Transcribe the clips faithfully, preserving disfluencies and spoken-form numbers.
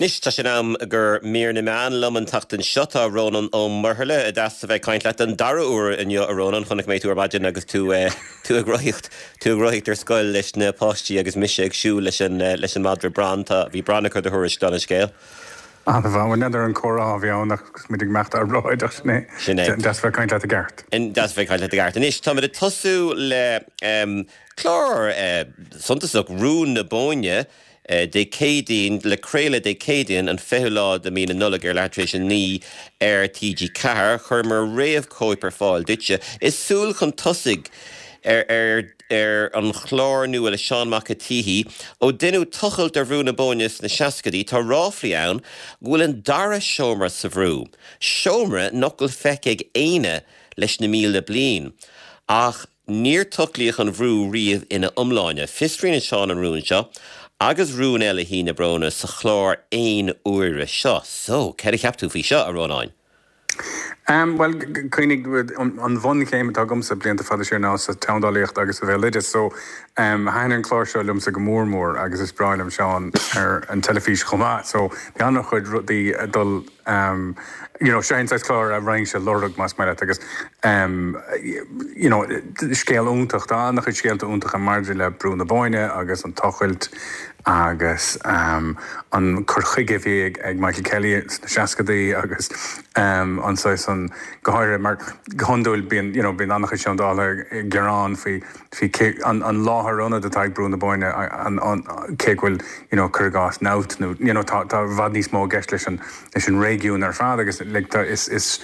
Anois tá sé in am do mhír na meán liom an tseachtain seo tá Rónán Ó Muirthile deas a bheith ag caint leat an dara huair inniu a Rónán chonaic mé tú ar maidin agus tú tú ag rothaíocht tú ag rothaíocht ar scoil leis na páistí agus mise ag siúl leis an leis an madra Bran tá bhí Bran ag cur do thuairisc don scéal. An n'fheadar an comhrá a bhí ann ach muid ag imeacht ar bráideach sin é Sin é. Deas bheith caint leat i gceart. Deas bheith caint leat i gceart. Anois tá ag tosú le um, clár uh, suntasach Rún na Bóinne, Dé Céadaoin le craoladh Dé Céadaoin an fichiú lá de mhí na Nollag ar leathuair tar éis a naoi ar TG Ceathair chuireamar réamhchóip ar fáil duitse. Is súil chun tosaigh ar ar ar an chlár nua le Seán Mac an tSíthigh ó deineadh tochailt ar Bhrú na Bóinne sna seascaidí tá ráflaí ann go bhfuil an dara seomra sa bhrú. Seomra nach bhfuil feicthe ag éinne leis na míle bliain. Ach níor tochlaíodh an bhrú riamh ina iomláine. Fiosraíonn Seán an rún seo, agus rún eile Thí na Bróna sa chlár aon uaire seo. So, céard a cheap tú faoi seo a Rónáin? Um, well cuimhnigh an bhunchéim atá agamsa blianta fada siar ná sa tseandálaíocht agus sa bhéaloideas so um, thaitin an clár seo liomsa go mór mór agus is breá liom Seán ar an teilifís chomh maith so bhí an-chuid rudaí dul um, you know, sé clár a roinn sé lorg más maith agus um, you know, scéal iontach tá an-chuid scéalta iontacha maidir le Brú na Bóinne agus an tochailt agus um, an cur chuige bhí ag, ag Michael Kelly sna seascaidí agus um, an an go háirithe mar go hiondúil bíonn you know, bíonn an-chuid seandálaithe gearán faoi faoi an, an láthair ionad atá ag Brú na Bóinne an, an, cé go bhfuil you know, cur gás náut nó you know, tá tá i bhfad níos mó i gceist leis an leis an réigiún ar fad agus like, tá, is, is,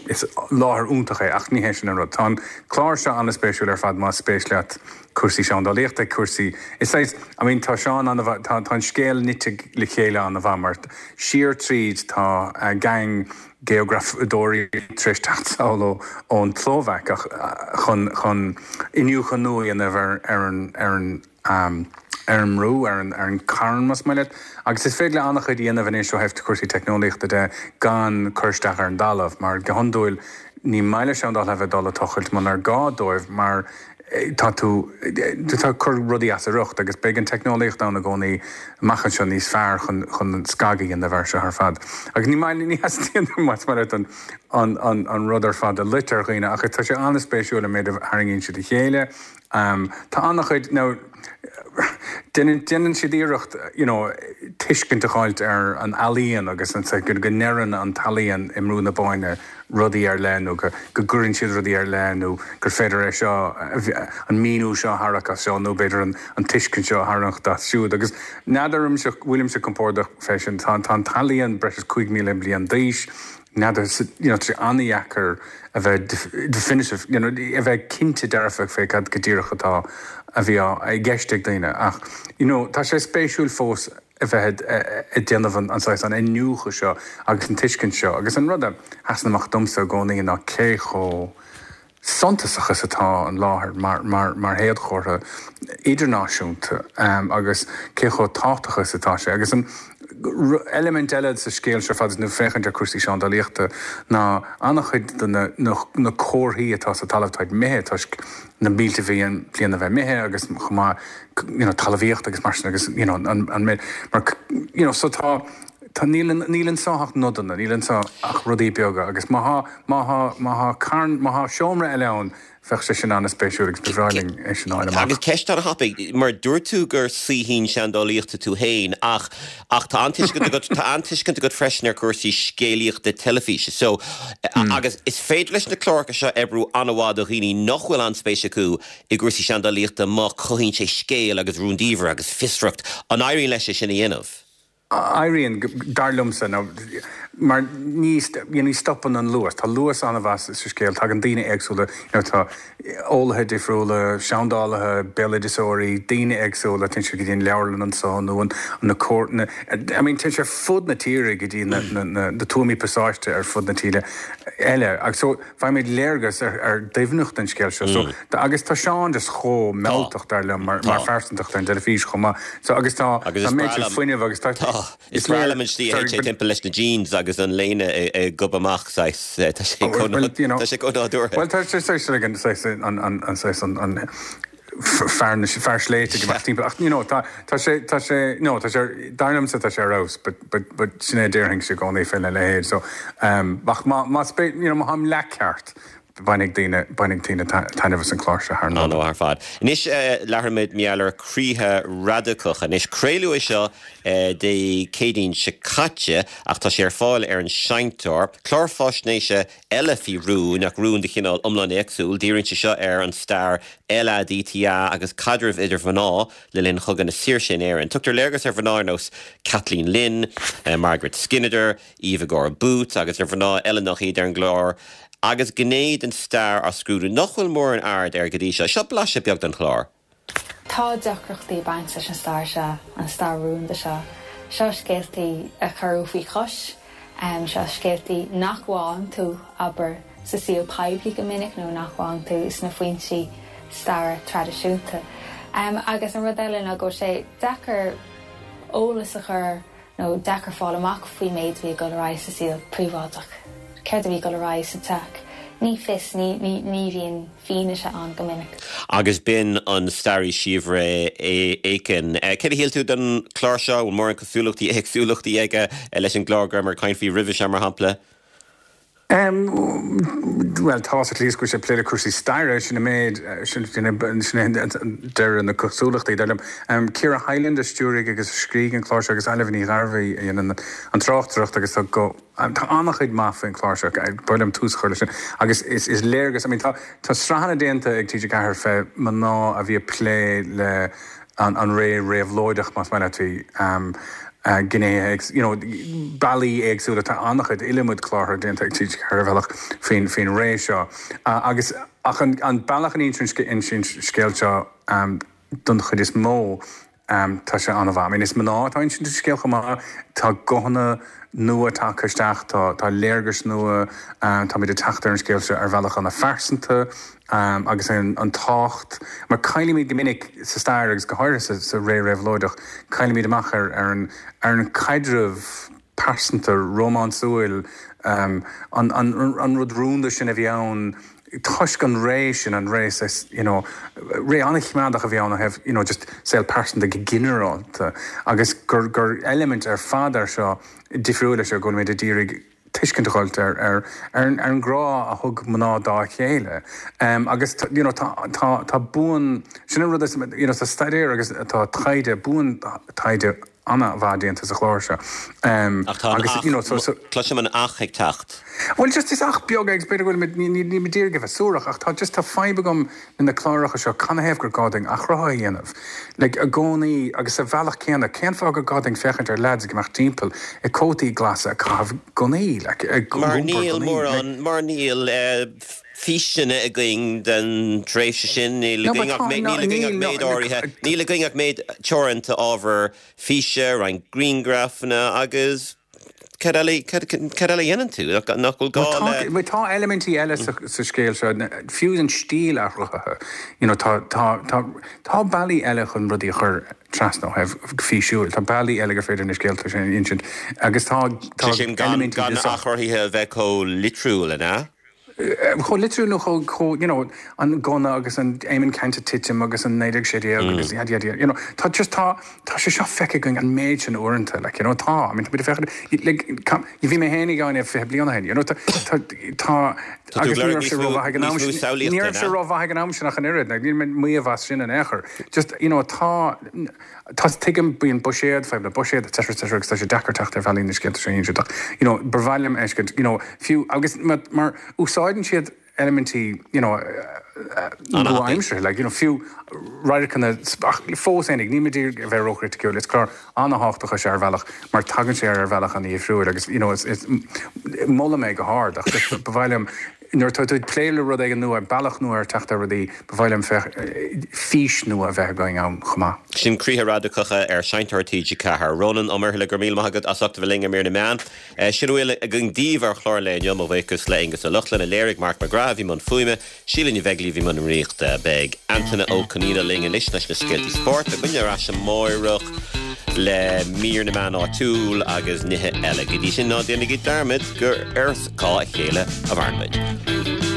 is láthair iontach é ach ní hé sin an rud. Tá an clár seo an-spéisiúil ar fad más spéis leat cúrsaí seandálaíochta cúrsaí is é I mean tá Seán an tá tá an scéal nite le chéile an-mhaith mar siar tríd tá uh, gang geografadóirí tar éis teacht ón tSlóvaic chun chun iniúchadh nua a dhéanamh ar ar an ar an um, ar an mbrú ar an ar an carn más maith leat agus is féidir le an-chuid a dhéanamh anois ó thaobh cúrsaí teicneolaíochta de gan cur isteach ar an talamh mar go hiondúil ní maith le seandálaithe bheith dul ag tochailt munar gá dóibh mar tá tú tá cur rudaí as a riocht agus beidh an teicneolaíocht ann i gcónaí amach anseo níos fearr chun chun scagadh a dhéanamh air seo ar fad. Agus ní maith ní theastaíonn más mar an an an an rud ar fad a loit ar dhaoine ach tá sé an-spéisiúil an méid a tharraingíonn siad a chéile. Um, tá an-chuid nó déanann siad iarracht you know, tuiscint a fháilt ar an ealaíon agus an go go ndeireann an t-ealaíon i mBrú na Bóinne rudaí ar leith nó go go gcuireann siad rudaí ar leith nó gur féidir é seo an míniú seo a tharraingt as seo nó b'fhéidir an, an tuiscint seo a tharraingt as siúd agus n'fheadar bhfuilimse compordach fé sin tá tá an t-ealaíon breis is cúig míle bliain d'aois n'fheadar you know, an-deacair a bheith definitive you know, a bheith cinnte dearfach fé cad go díreach atá a bhí i gceist ag daoine ach you know, tá sé spéisiúil fós a bheith ag déanamh an an an iniúchadh seo agus an tuiscint seo agus an rud a sheasann amach domsa i gcónaí ná cé chomh suntasach is atá an láthair mar, mar, mar shéadchomhartha idirnáisiúnta um, agus cé chomh tábhachtach is atá sé agus an eilimint eile sa scéal seo fad nó féachaint ar cúrsaí seandálaíochta ná an-chuid de na, na, na comharthaí atá sa talamh táid imithe toisc na mílte bliain bliain a bheith imithe agus chomh maith you know, talmhaíocht agus mar sin agus you know, an, an mar you know, so tá Tá níl níl anseo ach nodanna, níl anseo ach rudaí beaga agus má má má carn má seomra eile ann bheadh sé sin an-spéisiúil agus ba bhreá linn é sin a fháil amach. Agus ceist an-thapaidh mar dúirt tú gur saoithín seandálaíochta tú féin ach ach tá an-tuiscint agat tá an-tuiscint agat freisin ar cúrsaí scéalaíochta teilifíse. So mm. agus is féidir leis na cláracha seo oibriú an-mhaith do dhaoine nach bhfuil an-spéis acu i gcúrsaí seandálaíochta má chothaíonn sé scéal agus rúndiamhair agus fiosracht an éiríonn leis é sin a dhéanamh. Éiríonn dar liomsa nó mar ní ní stopann an luas Tá luas an-mhaith sa scéal tagann daoine éagsúla tá eolaithe difriúla, seandálaithe, béaloideasóirí, daoine éagsúla téann siad go dtí an leabharlann anseo nó an na na I mean téann sé fud na tíre go dtí na na na na tuamaí pasáiste ar fud na tíre eile agus so faighimid léargas ar ar doimhneacht an scéil seo so mm. agus tá Seán just chomh mealltach dar liom mar mar phearsantacht ar an teilifís chomh maith so agus tá Agus tá méid fuinnimh agus tá Is breá liom an slí a théann sé timpeall leis na jeans agus an léine ag gobadh amach tá sé tá sé chomh nádúrtha. Well tá sé an an an an an fear na fear sléibhte go timpeall ach you know tá tá sé tá sé no tá sé dar liomsa tá sé ar fheabhas but but but sin é déarfainnse i gcónaí faoina leithéid so um ach má má you know má tháim leathcheart bainfidh daoine bainfidh daoine taitneamh as an chlár seo thar Ná ar fad. Anois labhróimid mar gheall ar Croíthe Radacacha. Anois craoladh é seo Dé Céadaoin seo caite ach tá sé ar fáil ar an seinnteoir, clár faisnéise eile faoi rún ach rún de chineál iomlán éagsúil, díríonn sé seo ar an stair LADTA agus caidreamh idir mhná le linn Chogadh na Saoirse in Éirinn. Tugtar léargas ar mhná ar nós Kathleen Lynn, Margaret Skinnider, Eva Gore Booth agus ar mhná eile nach iad ar an gclár agus gné den stair á scrúdú nach bhfuil mórán aird air go dtí seo, seo blaiseadh beag den chlár. Tá deacrachtaí baint leis an stair seo an stair rúnda seo. Seo scéaltaí a cuireadh faoi chois, um, seo scéaltaí nach bhfaigheann tú abair sa saol poiblí go minic nó nach bhfaigheann tú sna foinsí staire traidisiúnta. Um, agus an rud eile ná go sé deacair eolas a chur nó deacair fáil amach faoi méid bhí go raibh sa saol príobháideach. Céard a bhí go raibh sa teach. Ní fios ní ní bhíonn fianaise ann go minic. Agus b'in an staraí Síobhra Aiken. Cé a shíl tú den chlár seo mór an cosúlachtaí éagsúlachtaí aige leis an gclár gur mar caint faoi roimhe seo mar shampla? Um, well tá at least go sé ag plé le cúrsaí staire sin méid sin deir na cosúlachtaí dar liom. Um, Ciara Hyland a stiúraigh agus scrígh an clár agus Eilbhe Ní Ghairbhí an an tráchtaireacht agus tá go tá an-chuid maith faoin chlár seo bulam tús chur sin agus is is léargas I mean, tá tá sraitheanna déanta ag TG Ceathair fé mná a bhí ag plé le an, an ré réabhlóideach más maith leat um, uh, gné you know, bealaí éagsúla tá an-chuid iliomad clár déanta ag TG Ceathair bhealach faoin faoin ré seo. Uh, agus ach an, an bealach an insíonn scéal seo um, don chuid is mó um, tá sé an-mhaith. I mean, is mná atá insint scéal chomh maith tá guthanna nua tagtha isteach tá tá léargas nua um, tá muid ag teacht ar an scéal seo ar bhealach an-phearsanta um, agus an, an tábhacht mar caillimid go minic sa stair agus go háirithe sa, sa ré réabhlóideach caillimid amach ar ar an ar an caidreamh pearsanta rómánsúil um, an, an, an rud rúnda sin a bhí ann toisc an ré sin an ré you know, ré an-choimeádach a bhí ann have you know, just saol pearsanta go ginearálta agus gur gur element ar fad ar seo difriúil seo go méid a d'iarraidh tuiscint a fháilt ar ar ar ar an grá a thug mná dá chéile. Um, agus you know, tá tá tá buan sin rud is you know, tá staidéar agus tá taighde buan taighde an-mhaith déanta sa chlár seo. Um, agus you know, so, so, Cloisim an ach ag teacht. Well just is ach beag agus b'fhéidir bhfuil ní ní d'iarraidh bheith suarach ach tá just tá fadhb agam na cláracha seo canathaobh gur gá dúinn athrú a dhéanamh. Like i gcónaí agus sa bhealach céanna cén fáth gur gá dúinn féachaint ar lads ag imeacht timpeall i cótaí glasa ag caitheamh gunnaí like, Mar níl mórán mar níl físeanna againn den tréimhse sin níl againn ach méid áirithe níl againn ach méid teoranta ábhar físe roinnt grianghrafanna agus cad eile cad eile dhéanann tú nach bhfuil gá le tá eilimintí eile sa scéal seo fiú an stíl athraithe you know tá tá tá tá bealaí eile chun rudaí a chur trasna thaobh físiúil tá bealaí eile gur féidir na scéalta sin insint agus tá tá sin gan gan athruithe a bheith chomh litriúil ina chomh litriúil nó chomh you know an gunna agus an Éamonn Ceannt ag titim agus an naoi déag sé déag agus yada yada you know tá just tá tá sé seo feicthe againn an méid sin uaireanta like you know tá I mean tá féachaint like bhí mé féin ag fiche bliain ó shin you know tá tá agus ní raibh sé rómhaith ag an am sin ní raibh sé rómhaith ag an am sin ach an oiread like níl mé ag maíomh as sin in aon chor just you know tá tá tuigim bíonn buiséad fadhb le buiséad etc etc agus tá sé deacair teacht ar bhealaí na scéalta sin ach you know ba mhaith liom fheiscint you know fiú agus mar úsáideann siad eilimintí you know nua-aimseartha like you know fiú radharcanna fós féinig ní mé a bheith róchriticiúil is clár an-tábhachtach é ar bhealach mar tagann sé ar bhealach an-difriúil agus you know is is molaim é go hard ach just ba mhaith liom nuair tá tú ag plé le rud éigin nua bealach nua ar teacht ar rudaí ba mhaith liom fís nua a bheith againn ann chomh maith. Sin Croíthe Radacacha ar Seinnteoir TG Ceathair. Rónán Ó Muirthile go raibh míle maith agat as ucht a bheith linn ar Mír na Meán. Sin a bhfuil againn daoibh ar chlár an lae inniu mo bhuíochas le Aonghus Ó Lochlainn a léirigh Mark McGrath a bhí i mbun fuaime, Síle Ní Bheaglaoí a bhí i mbun rúnaíochta. Beidh Antaine Ó Conaola linn anois leis na scéaltaí spóirt. Beidh muidne ar ais amárach le mír na meán áitiúil agus nithe eile. Go dtí sin ná déanaigí dearmad gur ar scáth a chéile a mhaireann muid.